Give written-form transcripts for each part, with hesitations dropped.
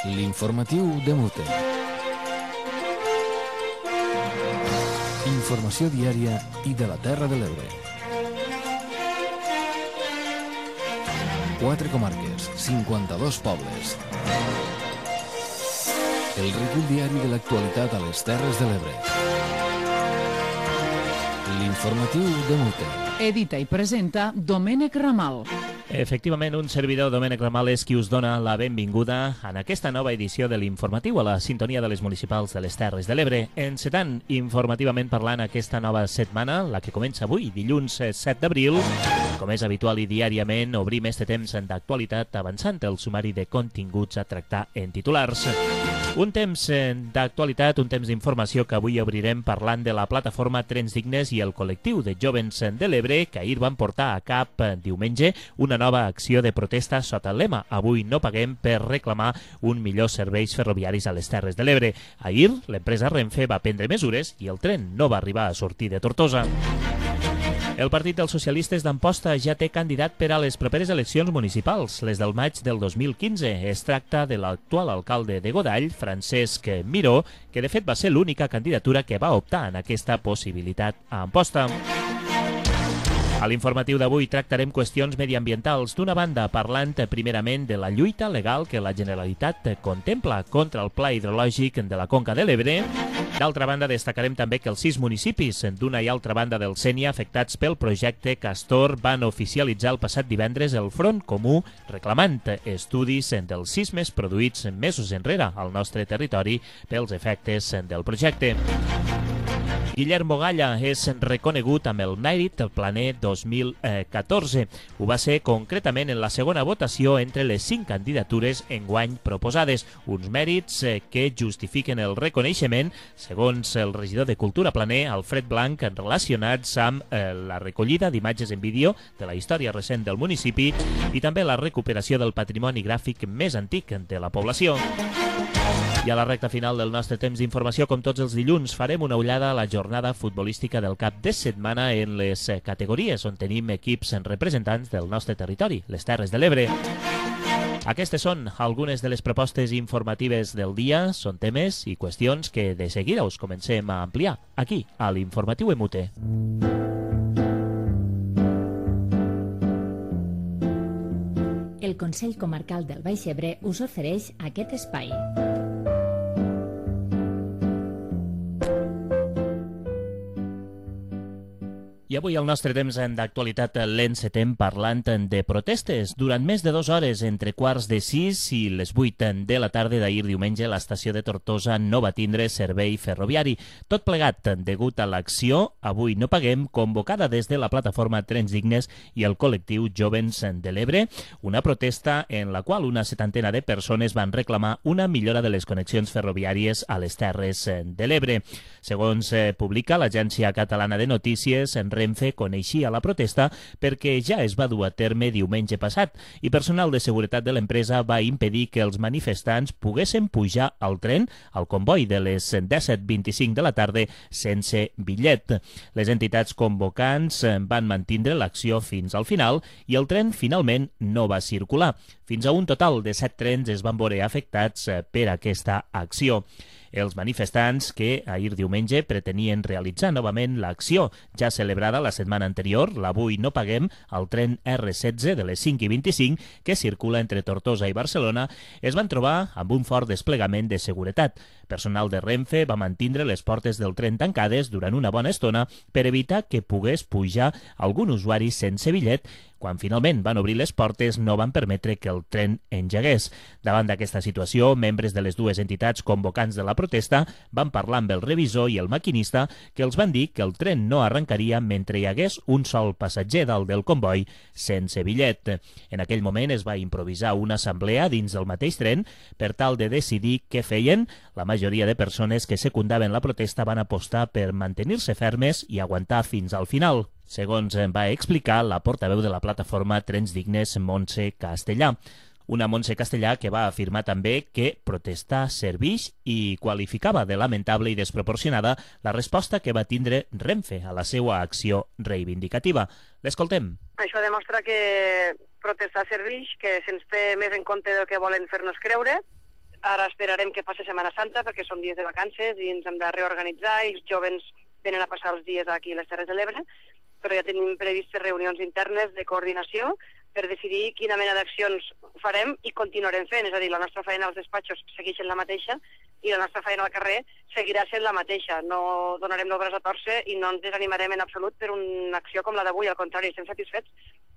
L'informatiu de Mute. Informació diària i de la Terra de l'Ebre. 4 comarques, 52 pobles. El recull diari de l'actualitat a les Terres de l'Ebre. L'informatiu de Mute. Edita i presenta Domènec Ramal. Efectivament, un servidor, Domènec Ramal, és qui us dona la benvinguda en aquesta nova edició de l'Informatiu a la sintonia de les municipals de les Terres de l'Ebre. Encetant informativament parlant aquesta nova setmana, la que comença avui, dilluns 7 d'abril. Com és habitual i diàriament, obrim este temps d'actualitat avançant el sumari de continguts a tractar en titulars. Un temps d'actualitat, un temps d'informació que avui obrirem parlant de la plataforma Trens Dignes i el col·lectiu de jovens de l'Ebre que ahir van portar a cap diumenge una nova acció de protesta sota el lema "Avui no paguem" per reclamar un millor serveis ferroviaris a les Terres de l'Ebre. Ahir, l'empresa Renfe va prendre mesures i el tren no va arribar a sortir de Tortosa. El Partit dels Socialistes d'Amposta ja té candidat per a les properes eleccions municipals, les del maig del 2015. Es tracta de l'actual alcalde de Godall, Francesc Miró, que de fet va ser l'única candidatura que va optar en aquesta possibilitat a Amposta. A l'informatiu d'avui tractarem qüestions mediambientals, d'una banda parlant primerament de la lluita legal que la Generalitat contempla contra el pla hidrològic de la Conca de l'Ebre. D'altra banda, destacarem també que els 6 municipis d'una i altra banda del Sénia afectats pel projecte Castor van oficialitzar el passat divendres el Front Comú reclamant estudis dels sismes produïts mesos enrere al nostre territori pels efectes del projecte. Guillermo Galla és reconegut amb el mèrit del Planer 2014. Ho va ser concretament en la segona votació entre les 5 candidatures enguany proposades, uns mèrits que justifiquen el reconeixement, segons el regidor de Cultura Planer, Alfred Blanc, relacionats amb la recollida d'imatges en vídeo de la història recent del municipi i també la recuperació del patrimoni gràfic més antic de la població. I a la recta final del nostre temps d'informació, com tots els dilluns, farem una ullada a la jornada futbolística del cap de setmana en les categories on tenim equips representants del nostre territori, les Terres de l'Ebre. Aquestes són algunes de les propostes informatives del dia, són temes i qüestions que de seguida us comencem a ampliar aquí, a l'Informatiu Emute. El Consell Comarcal del Baix Ebre us ofereix aquest espai. I avui el nostre temps d'actualitat l'encetem parlant de protestes. Durant més de 2 hores, entre 5:15 i les 8 de la tarda d'ahir diumenge, l'estació de Tortosa no va tindre servei ferroviari. Tot plegat degut a l'acció "Avui no paguem", convocada des de la plataforma Trens Dignes i el col·lectiu Jovens de l'Ebre, una protesta en la qual una 70ena de persones van reclamar una millora de les connexions ferroviàries a les Terres de l'Ebre. Segons publica l'Agència Catalana de Notícies, Renfe coneixia la protesta perquè ja es va dur a terme diumenge passat i personal de seguretat de l'empresa va impedir que els manifestants poguessin pujar al tren al comboi de les 17:25 de la tarda sense bitllet. Les entitats convocants van mantindre l'acció fins al final i el tren finalment no va circular. Fins a un total de 7 trens es van veure afectats per aquesta acció. Els manifestants que ahir diumenge pretenien realitzar novament l'acció ja celebrada la setmana anterior, l'Avui no paguem, al tren R16 de les 5:25 que circula entre Tortosa i Barcelona, es van trobar amb un fort desplegament de seguretat. Personal de Renfe va mantindre les portes del tren tancades durant una bona estona per evitar que pogués pujar algun usuari sense bitllet. Quan finalment van obrir les portes, no van permetre que el tren engegués. Davant d'aquesta situació, membres de les dues entitats convocants de la protesta van parlar amb el revisor i el maquinista, que els van dir que el tren no arrencaria mentre hi hagués un sol passatger dalt del comboi sense bitllet. En aquell moment es va improvisar una assemblea dins del mateix tren per tal de decidir què feien. La majoria de persones que secundaven la protesta van apostar per mantenir-se fermes i aguantar fins al final, segons va explicar la portaveu de la plataforma Trens Dignes, Montse Castellà. Una Montse Castellà que va afirmar també que protestar serveix i qualificava de lamentable i desproporcionada la resposta que va tindre Renfe a la seva acció reivindicativa. L'escoltem. Això demostra que protestar serveix, que se'ns té més en compte del que volen fer-nos creure, Ara esperarem que passi Setmana Santa perquè són dies de vacances i ens hem de reorganitzar i els jovens venen a passar els dies aquí a les Terres de l'Ebre, però ja tenim previstes reunions internes de coordinació per decidir quina mena d'accions farem i continuarem fent. És a dir, la nostra feina als despatxos segueix sent la mateixa i la nostra feina al carrer seguirà sent la mateixa. No donarem el braç a torcer i no ens desanimarem en absolut per una acció com la d'avui. Al contrari, estem satisfets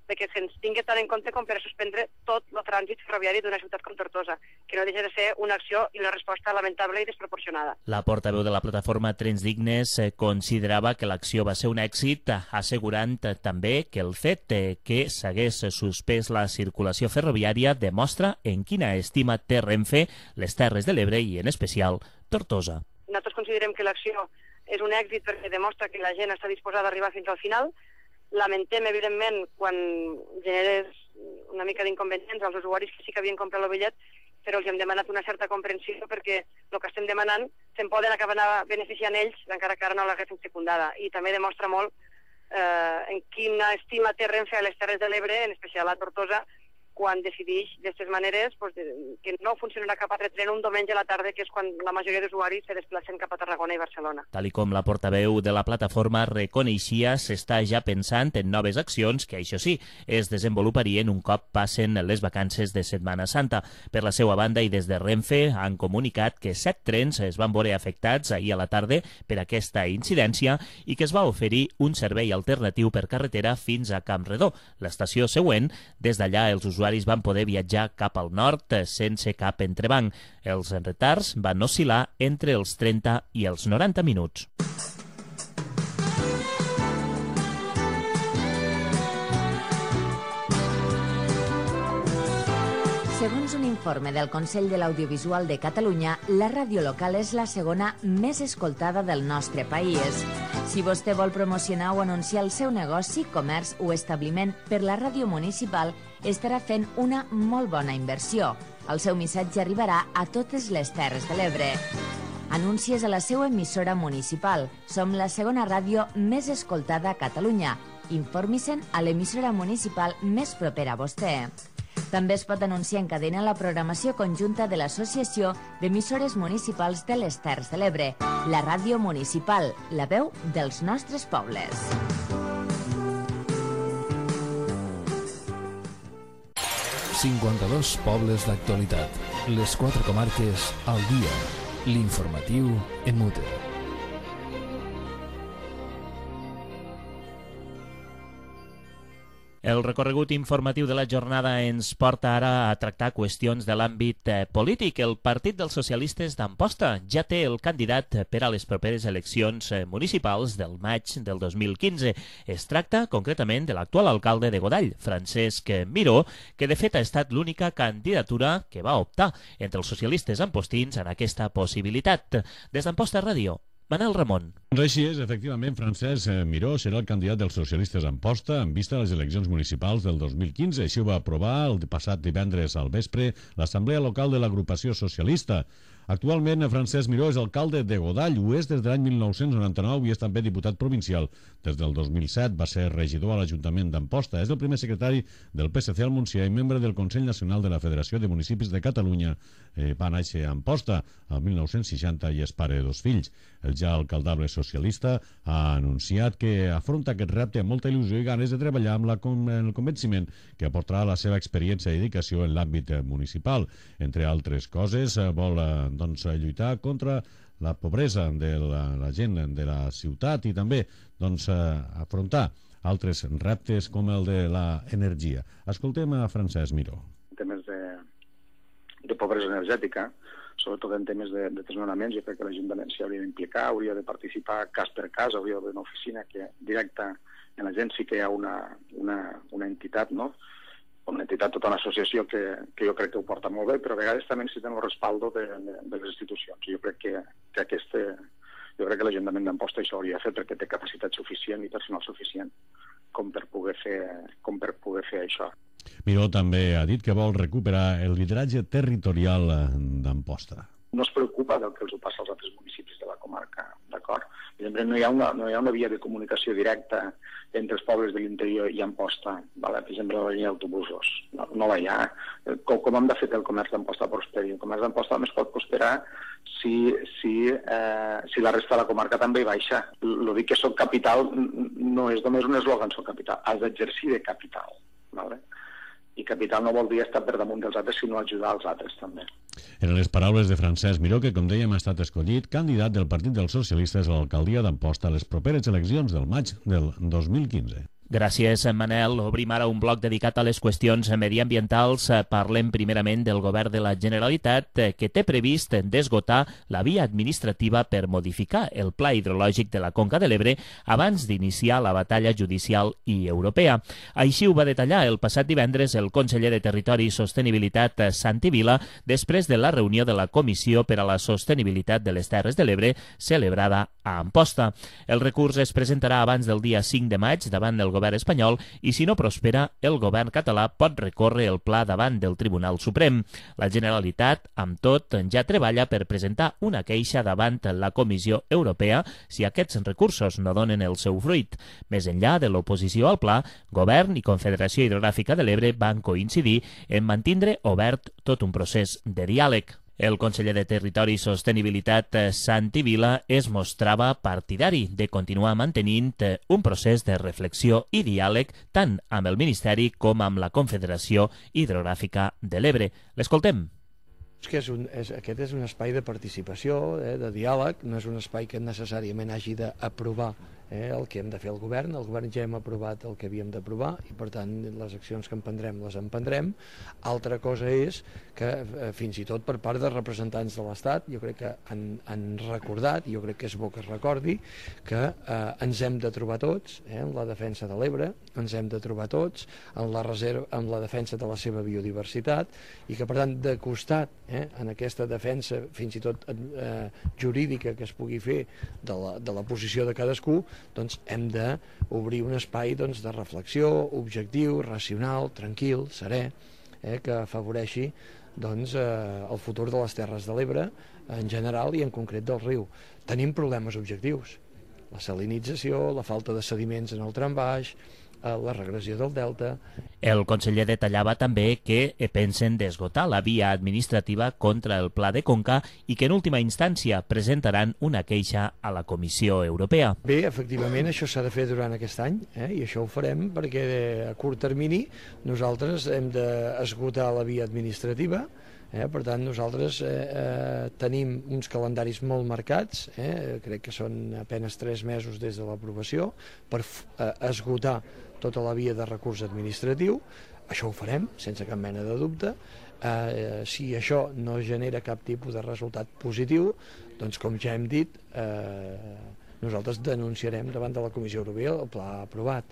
que ens tingui tant en compte com per a suspendre tot el trànsit ferroviari d'una ciutat com Tortosa, que no deixa de ser una acció i una resposta lamentable i desproporcionada. La portaveu de la plataforma Trens Dignes considerava que l'acció va ser un èxit, assegurant també que el fet que s'hagués suspès la circulació ferroviària demostra en quina estima té Renfe les Terres de l'Ebre i, en especial, Tortosa. Nosaltres considerem que l'acció és un èxit perquè demostra que la gent està disposada a arribar fins al final. Lamentem, evidentment, quan generes una mica d'inconvenients als usuaris que sí que havien comprat el bitllet, però els hem demanat una certa comprensió perquè el que estem demanant se'n poden acabar beneficiant ells, encara que ara no l'haguessin secundada. I també demostra molt en quina estima té Renfe a les Terres de l'Ebre, en especial a Tortosa, quan decideix d'aquestes maneres que no funcionarà cap altre tren un diumenge a la tarda, que és quan la majoria d'usuaris se desplacen cap a Tarragona i Barcelona. Tal com la portaveu de la plataforma reconeixia, s'està ja pensant en noves accions que, això sí, es desenvoluparien un cop passen les vacances de Setmana Santa. Per la seva banda i des de Renfe han comunicat que 7 trens es van veure afectats ahir a la tarda per aquesta incidència i que es va oferir un servei alternatiu per carretera fins a Campredó, l'estació següent. Des d'allà els usuaris van poder viatjar cap al nord sense cap entrebanc. Els retards van oscil·lar entre els 30 i els 90 minuts. Segons un informe del Consell de l'Audiovisual de Catalunya, la ràdio local és la segona més escoltada del nostre país. Si vostè vol promocionar o anunciar el seu negoci, comerç o establiment per la ràdio municipal, estarà fent una molt bona inversió. El seu missatge arribarà a totes les Terres de l'Ebre. Anuncies a la seva emissora municipal. Som la segona ràdio més escoltada a Catalunya. Informi-se'n a l'emissora municipal més propera a vostè. També es pot anunciar en cadena la programació conjunta de l'Associació d'Emissores Municipals de les Terres de l'Ebre, la ràdio municipal, la veu dels nostres pobles. ...52 pobles d'actualitat. Les 4 comarques al dia. L'informatiu en mute. El recorregut informatiu de la jornada ens porta ara a tractar qüestions de l'àmbit polític. El Partit dels Socialistes d'Amposta ja té el candidat per a les properes eleccions municipals del maig del 2015. Es tracta concretament de l'actual alcalde de Godall, Francesc Miró, que de fet ha estat l'única candidatura que va optar entre els socialistes ampostins en aquesta possibilitat. Des d'Amposta Ràdio, Manel Ramon. Així és, efectivament, Francesc Miró serà el candidat dels socialistes a Amposta en vista a les eleccions municipals del 2015. Així ho va aprovar el passat divendres al vespre l'Assemblea Local de l'Agrupació Socialista. Actualment, Francesc Miró és alcalde de Godall, ho és des de l'any 1999 i és també diputat provincial. Des del 2007 va ser regidor a l'Ajuntament d'Amposta. És el primer secretari del PSC al Montsià i membre del Consell Nacional de la Federació de Municipis de Catalunya. Va néixer a Amposta el 1960 i és pare de 2 fills. El ja alcaldable socialista ha anunciat que afronta aquest repte amb molta il·lusió i ganes de treballar amb el convenciment que aportarà la seva experiència i dedicació en l'àmbit municipal. Entre altres coses, vol lluitar contra la pobresa de la gent de la ciutat i també afrontar altres reptes com el de l'energia. Escoltem a Francesc Miró. En temes de pobresa energètica, sobretot en temes de desnonaments, jo crec que l'Ajuntament s'hi hauria d'implicar, hauria de participar cas per cas, hauria d'haver una oficina que directa en la gent, sí que hi ha una entitat, no?, una entitat, tota una associació que jo crec que ho porta molt bé, però a vegades també necessiten el respaldo de les institucions. Jo crec que l'Ajuntament d'Amposta això hauria de fer perquè té capacitat suficient i personal suficient com per poder fer això. Miró també ha dit que vol recuperar el lideratge territorial d'Amposta. no es preocupa del que els ho passa als altres municipis de la comarca, d'acord? Per exemple, no hi ha una via de comunicació directa entre els pobles de l'interior i Amposta, vale? Per exemple, la línia d'autobusos, no la hi ha. Com hem de fer que el comerç d'Amposta prosperi? El comerç d'Amposta només pot prosperar si la resta de la comarca també hi baixa. El dir que soc capital no és només un eslògan, soc capital, has d'exercir de capital, vale? I capital no vol dir estar per damunt dels altres, sinó ajudar els altres també. Eren les paraules de Francesc Miró, que, com dèiem, ha estat escollit candidat del Partit dels Socialistes a l'alcaldia d'Amposta a les properes eleccions del maig del 2015. Gràcies, Manel. Obrim ara un bloc dedicat a les qüestions mediambientals. Parlem primerament del govern de la Generalitat, que té previst d'esgotar la via administrativa per modificar el pla hidrològic de la Conca de l'Ebre abans d'iniciar la batalla judicial i europea. Així ho va detallar el passat divendres el conseller de Territori i Sostenibilitat, Santi Vila, després de la reunió de la Comissió per a la Sostenibilitat de les Terres de l'Ebre, celebrada a Amposta. El recurs es presentarà abans del dia 5 de maig davant del govern espanyol i, si no prospera, el govern català pot recórrer el pla davant del Tribunal Suprem. La Generalitat, amb tot, ja treballa per presentar una queixa davant la Comissió Europea si aquests recursos no donen el seu fruit. Més enllà de l'oposició al pla, Govern i Confederació Hidrogràfica de l'Ebre van coincidir en mantindre obert tot un procés de diàleg. El conseller de Territori i Sostenibilitat, Santi Vila, es mostrava partidari de continuar mantenint un procés de reflexió i diàleg tant amb el Ministeri com amb la Confederació Hidrogràfica de l'Ebre. L'escoltem. Aquest és un espai de participació, de diàleg, no és un espai que necessàriament hagi d'aprovar el que hem de fer el govern ja hem aprovat el que havíem d'aprovar i per tant les accions que emprendrem les emprendrem. Altra cosa és que fins i tot per part de representants de l'Estat jo crec que han recordat, i jo crec que és bo que es recordi, que ens hem de trobar tots en la defensa de l'Ebre, ens hem de trobar tots en la defensa de la seva biodiversitat i que per tant de costat en aquesta defensa fins i tot jurídica que es pugui fer de la posició de cadascú, doncs hem d'obrir un espai de reflexió, objectiu, racional, tranquil, serè, que afavoreixi el futur de les Terres de l'Ebre en general i en concret del riu. Tenim problemes objectius, la salinització, la falta de sediments en el tram baix, la regressió del delta. El conseller detallava també que pensen d'esgotar la via administrativa contra el Pla de Conca i que en última instància presentaran una queixa a la Comissió Europea. Bé, efectivament, això s'ha de fer durant aquest any i això ho farem perquè a curt termini nosaltres hem d'esgotar la via administrativa. Per tant, nosaltres tenim uns calendaris molt marcats, crec que són apenas 3 mesos des de l'aprovació, per esgotar tota la via de recurs administratiu. Això ho farem, sense cap mena de dubte. Si això no genera cap tipus de resultat positiu, doncs, com ja hem dit, nosaltres denunciarem davant de la Comissió Europea el pla aprovat.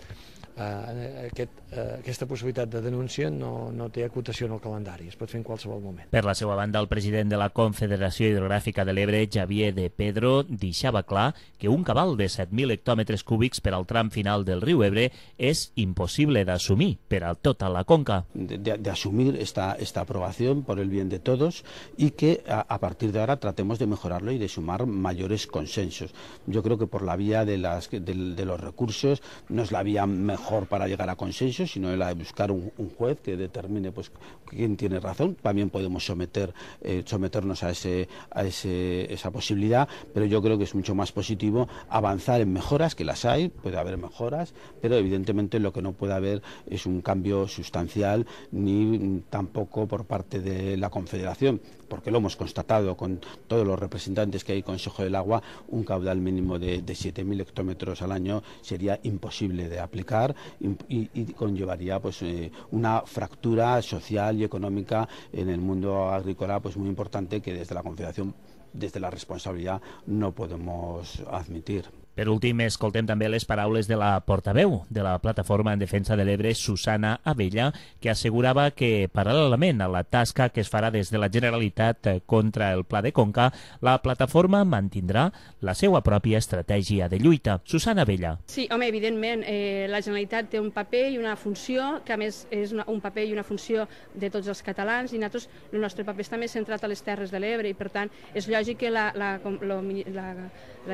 Aquesta possibilitat de denúncia no té acotació en el calendari, es pot fer en qualsevol moment. Per la seva banda, el president de la Confederació Hidrogràfica de l'Ebre, Xavier de Pedro, deixava clar que un cabal de 7.000 hectòmetres cúbics per al tram final del riu Ebre és impossible d'assumir per a tota la conca. De asumir esta aprobación por el bien de todos y que a partir de ahora tratemos de mejorarlo y de sumar mayores consensos. Yo creo que por la vía de los recursos no es la vía mejor para llegar a consenso, sino la de buscar un juez que determine pues quién tiene razón. También podemos someternos a esa posibilidad, pero yo creo que es mucho más positivo avanzar en mejoras, que las hay, puede haber mejoras, pero evidentemente lo que no puede haber es un cambio sustancial ni tampoco por parte de la Confederación, porque lo hemos constatado con todos los representantes que hay en Consejo del Agua, un caudal mínimo de 7.000 hectómetros al año sería imposible de aplicar y conllevaría pues una fractura social y económica en el mundo agrícola pues muy importante que desde la Confederación, desde la responsabilidad, no podemos admitir. Per últim, escoltem també les paraules de la portaveu de la Plataforma en Defensa de l'Ebre, Susana Abella, que assegurava que, paral·lelament a la tasca que es farà des de la Generalitat contra el Pla de Conca, la plataforma mantindrà la seva pròpia estratègia de lluita. Susana Abella. Sí, home, evidentment, la Generalitat té un paper i una funció, que a més és un paper i una funció de tots els catalans, i nosaltres, el nostre paper està més centrat a les Terres de l'Ebre, i per tant és lògic que la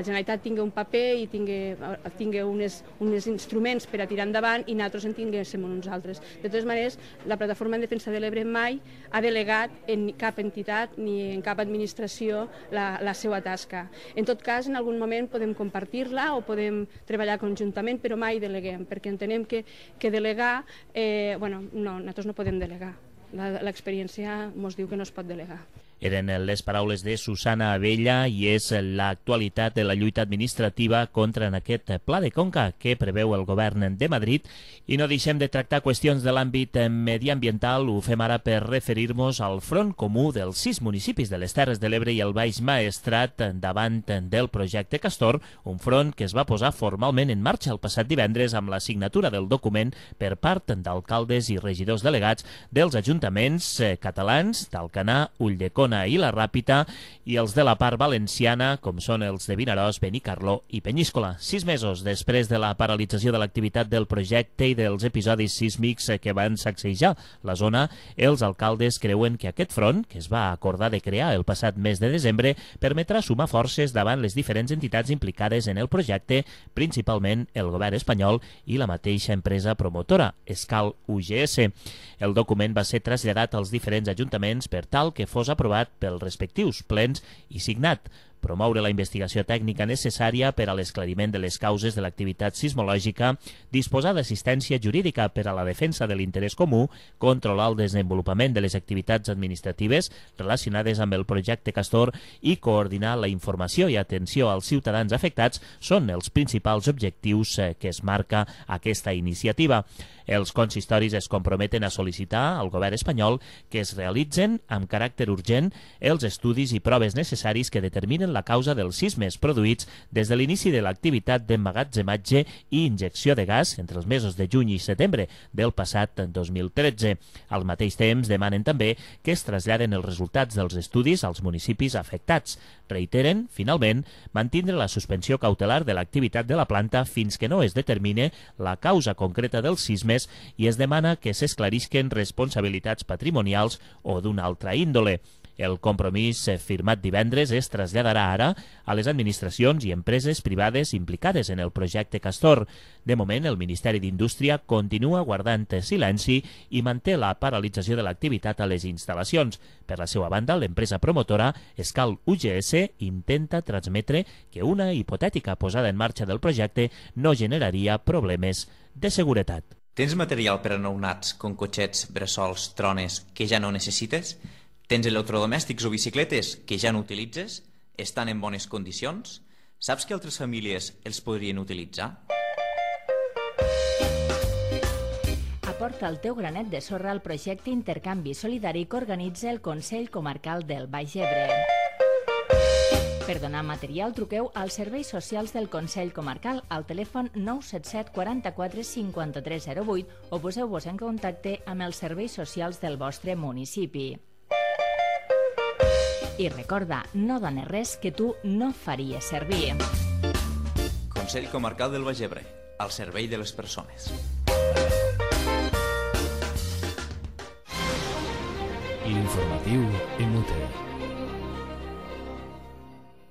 Generalitat tingui un paper i tingui uns instruments per a tirar endavant i nosaltres en tinguéssim uns altres. De totes maneres, la Plataforma en Defensa de l'Ebre mai ha delegat en cap entitat ni en cap administració la seva tasca. En tot cas, en algun moment podem compartir-la o podem treballar conjuntament, però mai deleguem, perquè entenem que delegar, nosaltres no podem delegar. L'experiència ens diu que no es pot delegar. Eren les paraules de Susana Abella i és l'actualitat de la lluita administrativa contra en aquest Pla de Conca que preveu el govern de Madrid. I no deixem de tractar qüestions de l'àmbit mediambiental. Ho fem ara per referir-nos al front comú dels 6 municipis de les Terres de l'Ebre i el Baix Maestrat davant del projecte Castor, un front que es va posar formalment en marxa el passat divendres amb la signatura del document per part d'alcaldes i regidors delegats dels ajuntaments catalans d'Alcanar, Ulldecona i la Ràpita i els de la part valenciana, com són els de Vinaròs, Benicarló i Penyíscola. 6 mesos després de la paralització de l'activitat del projecte i dels episodis sísmics que van sacsejar la zona, els alcaldes creuen que aquest front, que es va acordar de crear el passat mes de desembre, permetrà sumar forces davant les diferents entitats implicades en el projecte, principalment el govern espanyol i la mateixa empresa promotora, Escal UGS. El document va ser traslladat als diferents ajuntaments per tal que fos aprovat pels respectius plens i signat. Promoure la investigació tècnica necessària per a l'esclariment de les causes de l'activitat sismològica, disposar d'assistència jurídica per a la defensa de l'interès comú, controlar el desenvolupament de les activitats administratives relacionades amb el projecte Castor i coordinar la informació i atenció als ciutadans afectats són els principals objectius que es marca aquesta iniciativa. Els consistoris es comprometen a sol·licitar al govern espanyol que es realitzen amb caràcter urgent els estudis i proves necessaris que determinen la causa dels sismes produïts des de l'inici de l'activitat d'emmagatzematge i injecció de gas entre els mesos de juny i setembre del passat 2013. Al mateix temps, demanen també que es traslladen els resultats dels estudis als municipis afectats. Reiteren, finalment, mantindre la suspensió cautelar de l'activitat de la planta fins que no es determine la causa concreta dels sismes i es demana que s'esclarisquen responsabilitats patrimonials o d'una altra índole. El compromís firmat divendres es traslladarà ara a les administracions i empreses privades implicades en el projecte Castor. De moment, el Ministeri d'Indústria continua guardant silenci i manté la paralització de l'activitat a les instal·lacions. Per la seva banda, l'empresa promotora Escal UGS intenta transmetre que una hipotètica posada en marxa del projecte no generaria problemes de seguretat. Tens material per a nounats com cotxets, bressols, trones que ja no necessites? Tens electrodomèstics o bicicletes que ja no utilitzes? Estan en bones condicions? Saps que altres famílies els podrien utilitzar? Aporta el teu granet de sorra al projecte Intercanvi Solidari que organitza el Consell Comarcal del Baix Ebre. Per donar material, truqueu als serveis socials del Consell Comarcal al telèfon 977 44 53 08 o poseu-vos en contacte amb els serveis socials del vostre municipi. I recorda, no dones res que tu no faries servir. Consell Comarcal del Baix Ebre, al servei de les persones. L'informatiu Emute.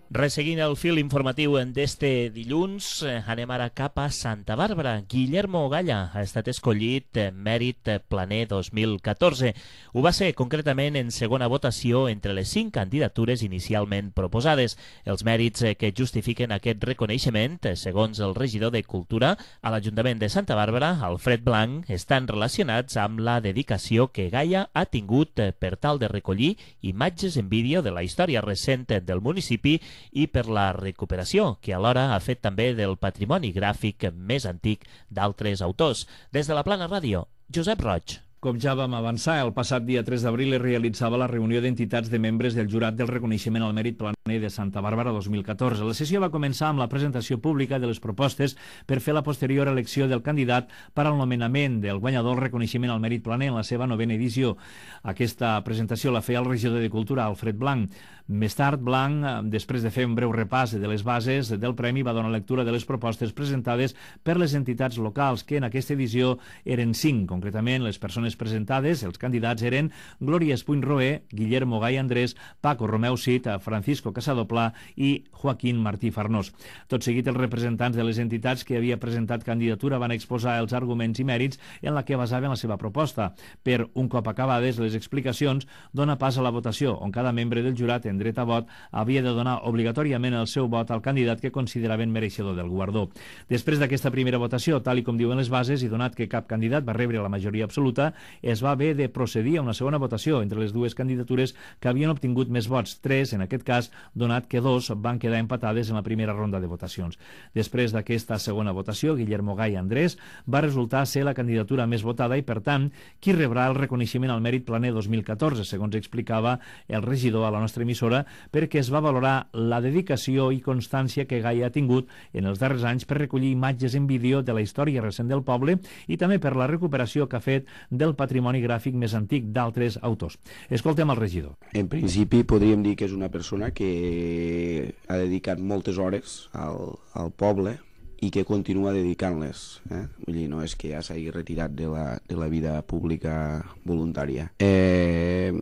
Resseguint el fil informatiu d'este dilluns, anem ara cap a Santa Bàrbara. Guillermo Galla ha estat escollit Mèrit Planer 2014. Ho va ser concretament en segona votació entre les 5 candidatures inicialment proposades. Els mèrits que justifiquen aquest reconeixement, segons el regidor de Cultura a l'Ajuntament de Santa Bàrbara, Alfred Blanc, estan relacionats amb la dedicació que Galla ha tingut per tal de recollir imatges en vídeo de la història recent del municipi i per la recuperació, que alhora ha fet també del patrimoni gràfic més antic d'altres autors. Des de la Plana Ràdio, Josep Roig. Com ja vam avançar, el passat dia 3 d'abril es realitzava la reunió d'entitats de membres del jurat del reconeixement al mèrit planer de Santa Bàrbara 2014. La sessió va començar amb la presentació pública de les propostes per fer la posterior elecció del candidat per al nomenament del guanyador del reconeixement al mèrit planer en la seva 9ª edició. Aquesta presentació la feia el regidor de Cultura, Alfred Blanc. Més tard, Blanc, després de fer un breu repàs de les bases del premi, va donar lectura de les propostes presentades per les entitats locals, que en aquesta edició eren 5. Concretament, les persones presentades, els candidats eren Glòria Espuny Roé, Guillermo Gai Andrés, Paco Romeu Cid, Francisco Casadoplà i Joaquín Martí Farnós. Tot seguit, els representants de les entitats que havia presentat candidatura van exposar els arguments i mèrits en la que basaven la seva proposta. Per un cop acabades les explicacions, dona pas a la votació, on cada membre del jurat en dret a vot havia de donar obligatòriament el seu vot al candidat que consideraven mereixedor del guardó. Després d'aquesta primera votació, tal i com diuen les bases, i donat que cap candidat va rebre la majoria absoluta, es va haver de procedir a una segona votació entre les dues candidatures que havien obtingut més vots, 3 en aquest cas, donat que 2 van quedar empatades en la primera ronda de votacions. Després d'aquesta segona votació, Guillermo Gai Andrés va resultar ser la candidatura més votada i, per tant, qui rebrà el reconeixement al mèrit planer 2014, segons explicava el regidor a la nostra emissora, perquè es va valorar la dedicació i constància que Gai ha tingut en els darrers anys per recollir imatges en vídeo de la història recent del poble i també per la recuperació que ha fet del patrimoni gràfic més antic d'altres autors. Escoltem el regidor. En principi podríem dir que és una persona que ha dedicat moltes hores al poble i que continua dedicant-les. Vull dir, no és que ja s'hagi retirat de la vida pública voluntària. En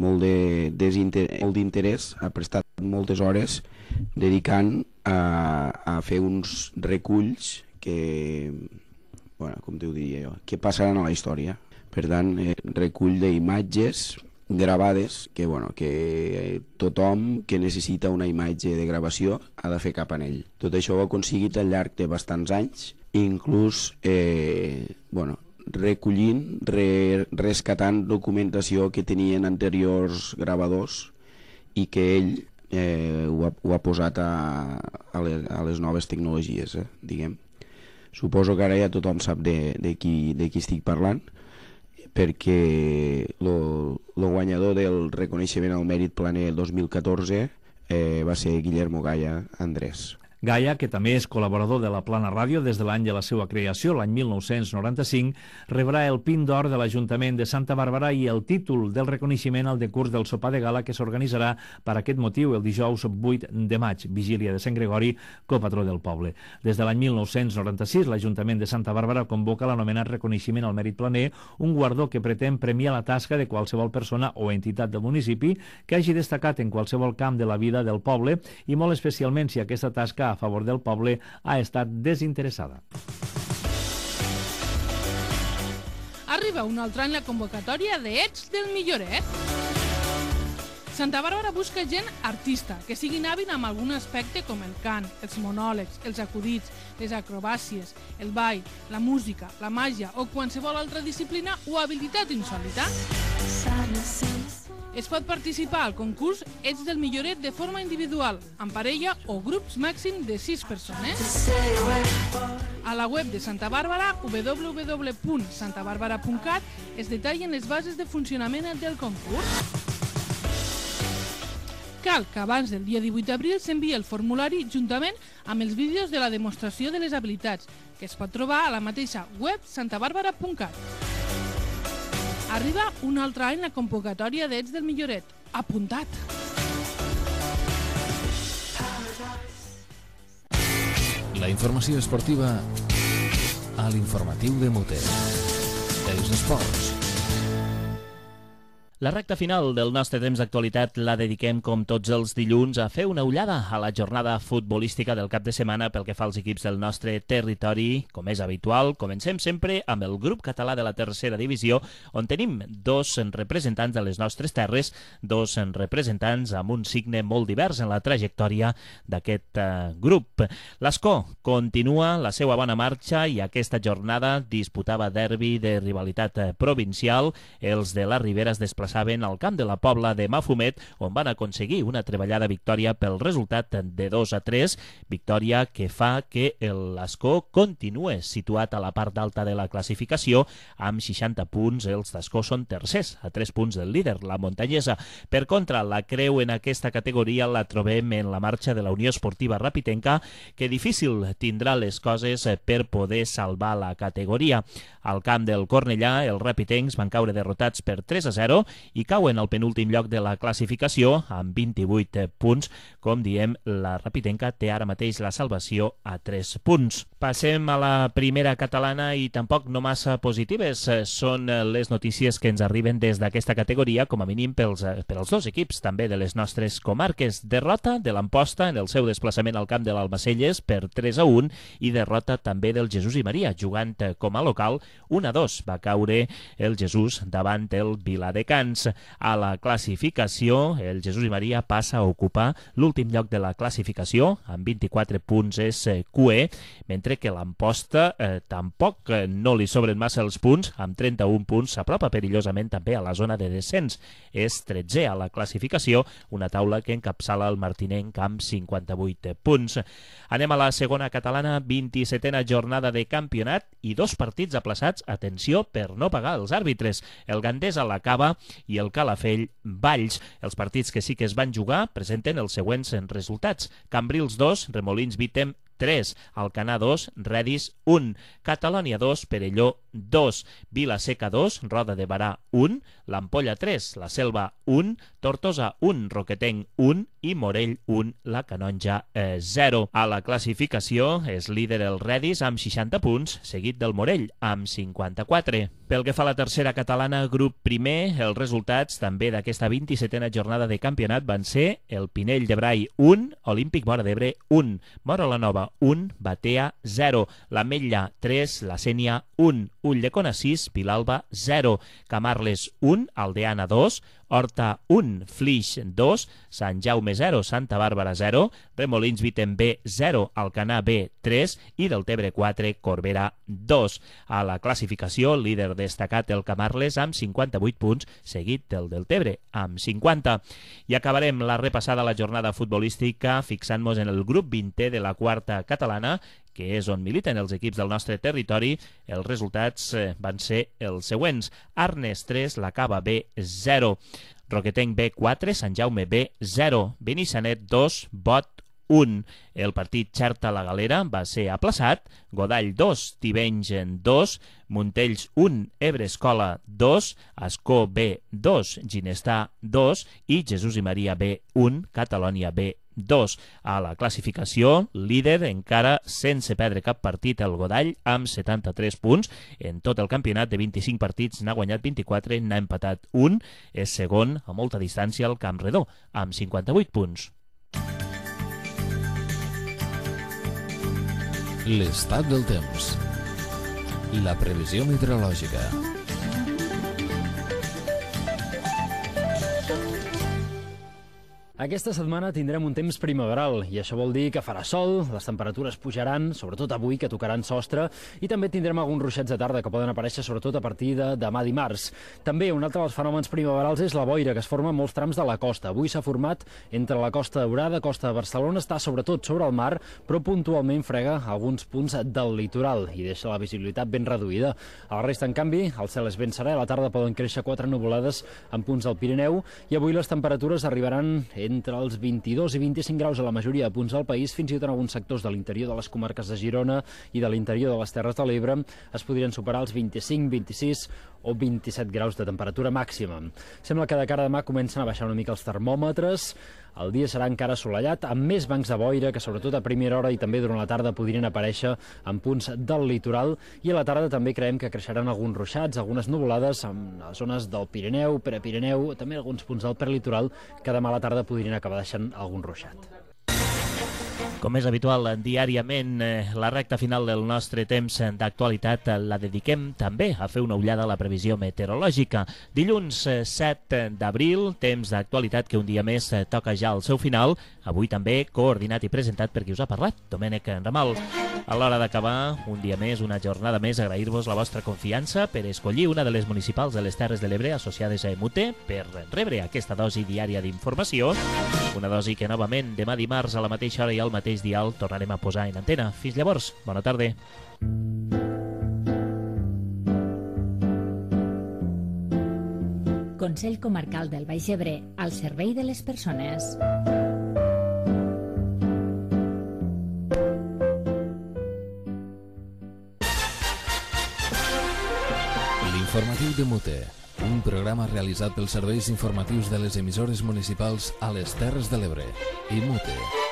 molt d'interès ha prestat moltes hores dedicant a fer uns reculls que, com t'ho diria jo, que passaran a la història. Per tant, recull d'imatges gravades que tothom que necessita una imatge de gravació ha de fer cap en ell. Tot això ho ha aconseguit al llarg de bastants anys, inclús recollint, rescatant documentació que tenien anteriors gravadors i que ell ho ha posat a les noves tecnologies, diguem. Suposo que ara ja tothom sap de qui estic parlant, perquè el guanyador del reconeixement al mèrit planer 2014 va ser Guillermo Gai Andrés. Gaia, que també és col·laborador de la Plana Ràdio des de l'any de la seva creació, l'any 1995, rebrà el Pin d'Or de l'Ajuntament de Santa Bàrbara i el títol del reconeixement al decurs del sopar de gala que s'organitzarà per aquest motiu el dijous 8 de maig, vigília de Sant Gregori, copatró del poble. Des de l'any 1996, l'Ajuntament de Santa Bàrbara convoca l'anomenat reconeixement al mèrit planer, un guardó que pretén premiar la tasca de qualsevol persona o entitat del municipi que hagi destacat en qualsevol camp de la vida del poble i molt especialment si aquesta tasca a favor del poble ha estat desinteressada. Arriba un altre any la convocatòria d'Ets del Milloret. Santa Bàrbara busca gent artista, que siguin hàbil amb algun aspecte com el cant, els monòlegs, els acudits, les acrobàcies, el ball, la música, la màgia o qualsevol altra disciplina o habilitat insòlita. Es pot participar al concurs Ets del Milloret de forma individual, en parella o grups màxim de 6 persones. A la web de Santa Bàrbara, www.santabarbara.cat, es detallen les bases de funcionament del concurs. Cal que abans del dia 18 d'abril s'enviï el formulari juntament amb els vídeos de la demostració de les habilitats, que es pot trobar a la mateixa web santabarbara.cat. Arriba un altre any la convocatòria d'Ets del Milloret. Apuntat! La informació esportiva a l'informatiu de Muter. Els esports. La recta final del nostre temps d'actualitat la dediquem, com tots els dilluns, a fer una ullada a la jornada futbolística del cap de setmana pel que fa als equips del nostre territori. Com és habitual, comencem sempre amb el grup català de la tercera divisió, on tenim 2 representants de les nostres terres, 2 representants amb un signe molt divers en la trajectòria d'aquest grup. L'Escó continua la seva bona marxa i aquesta jornada disputava derbi de rivalitat provincial. Els de la Ribera es desplaçaven desplaçaven al camp de la Pobla de Mafumet, on van aconseguir una treballada victòria pel resultat de 2-3, victòria que fa que l'Escó continue situat a la part alta de la classificació amb 60 punts. Els d'Escó són tercers, a 3 punts del líder, la Montanyesa. Per contra, la creu en aquesta categoria la trobem en la marxa de la Unió Esportiva Rapitenca, que difícil tindrà les coses per poder salvar la categoria. Al camp del Cornellà, els rapitencs van caure derrotats per 3-0 i cauen al penúltim lloc de la classificació amb 28 punts. Com diem, la Rapitenca té ara mateix la salvació a 3 punts. Passem a la primera catalana i tampoc no massa positives són les notícies que ens arriben des d'aquesta categoria, com a mínim pels dos equips també de les nostres comarques. Derrota de l'Amposta en el seu desplaçament al camp de l'Almacelles per 3-1 i derrota també del Jesús i Maria, jugant com a local 1-2. Va caure el Jesús davant el Viladecans. A la classificació, el Jesús i Maria passa a ocupar l'últim lloc de la classificació, amb 24 punts és QE, mentre que l'Amposta tampoc no li sobren massa els punts, amb 31 punts s'apropa perillosament també a la zona de descens. És 13è a la classificació, una taula que encapçala el martinenc amb 58 punts. Anem a la segona catalana, 27a jornada de campionat i 2 partits aplaçats, atenció, per no pagar els àrbitres. El Gandesa la Cava i el Calafell Valls. Els partits que sí que es van jugar presenten els següents resultats. Cambrils 2, Remolins Vítem 3, Alcanar 2, Redis 1, Catalònia 2, Perelló 2, Vila-seca 2, Roda de Barà 1, l'Ampolla 3, la Selva 1, Tortosa 1, Roquetenc 1 i Morell 1, la Canonja 0. A la classificació és líder el Redis amb 60 punts, seguit del Morell amb 54. Pel que fa a la tercera catalana, grup primer, els resultats també d'aquesta 27a jornada de campionat van ser el Pinell de Brai 1, Olímpic Móra d'Ebre 1, Móra la Nova 1, Batea 0, l'Ametlla 3, la Sénia 1, Ulldecona 6, Vilalba 0, Camarles 1, Aldeana 2, Horta 1, Flix 2, Sant Jaume 0, Santa Bàrbara 0, Remolins Vítem B 0, Alcanar B 3 i Deltebre 4, Corbera 2. A la classificació, líder destacat el Camarles amb 58 punts, seguit del Deltebre amb 50. I acabarem la repassada a la jornada futbolística fixant-nos en el grup 20è de la quarta catalana, que és on militen els equips del nostre territori. Els resultats van ser els següents. Arnes 3, la Cava B 0, Roquetenc B 4, Sant Jaume B 0, Benissanet 2, Bot 1. El partit Xerta la Galera va ser aplaçat, Godall 2, Tivenys 2, Montells 1, Ebre Escola 2, Ascó B 2, Ginestà 2 i Jesús i Maria B 1, Catalònia B 2. A la classificació, líder encara sense perdre cap partit el Godall amb 73 punts. En tot el campionat de 25 partits n'ha guanyat 24, n'ha empatat 1. És segon a molta distància el Campredó amb 58 punts. L'estat del temps. La previsió meteorològica. Aquesta setmana tindrem un temps primaveral i això vol dir que farà sol, les temperatures pujaran, sobretot avui, que tocaran sostre, i també tindrem alguns ruixats de tarda que poden aparèixer sobretot a partir de demà dimarts. També un altre dels fenòmens primaverals és la boira, que es forma en molts trams de la costa. Avui s'ha format entre la Costa Daurada, Costa de Barcelona, està sobretot sobre el mar, però puntualment frega alguns punts del litoral i deixa la visibilitat ben reduïda. A la resta, en canvi, el cel és ben serè, a la tarda poden créixer 4 nuvolades en punts del Pirineu i avui les temperatures arribaran entre els 22 i 25 graus a la majoria de punts del país, fins i tot en alguns sectors de l'interior de les comarques de Girona i de l'interior de les Terres de l'Ebre es podrien superar els 25, 26 o 27 graus de temperatura màxima. Sembla que de cara a demà comencen a baixar una mica els termòmetres. El dia serà encara assolellat, amb més bancs de boira que sobretot a primera hora i també durant la tarda podrien aparèixer en punts del litoral, i a la tarda també creiem que creixeran alguns ruixats, algunes nuvolades en les zones del Pirineu, Prepirineu, també alguns punts del prelitoral que demà a la tarda podrien acabar deixant algun ruixat. Com és habitual, diàriament la recta final del nostre temps d'actualitat la dediquem també a fer una ullada a la previsió meteorològica. Dilluns 7 d'abril, temps d'actualitat que un dia més toca ja al seu final, avui també coordinat i presentat per qui us ha parlat, Domènec Ramal. A l'hora d'acabar, un dia més, una jornada més, agrair-vos la vostra confiança per escollir una de les municipals de les Terres de l'Ebre associades a EMUTE per rebre aquesta dosi diària d'informació, una dosi que novament demà dimarts a la mateixa hora i al mateix dial tornarem a posar en antena. Fins llavors, bona tarda. Consell Comarcal del Baix Ebre, al servei de les persones. L'informatiu de Mute, un programa realitzat pels serveis informatius de les emissores municipals a les Terres de l'Ebre. I Mute.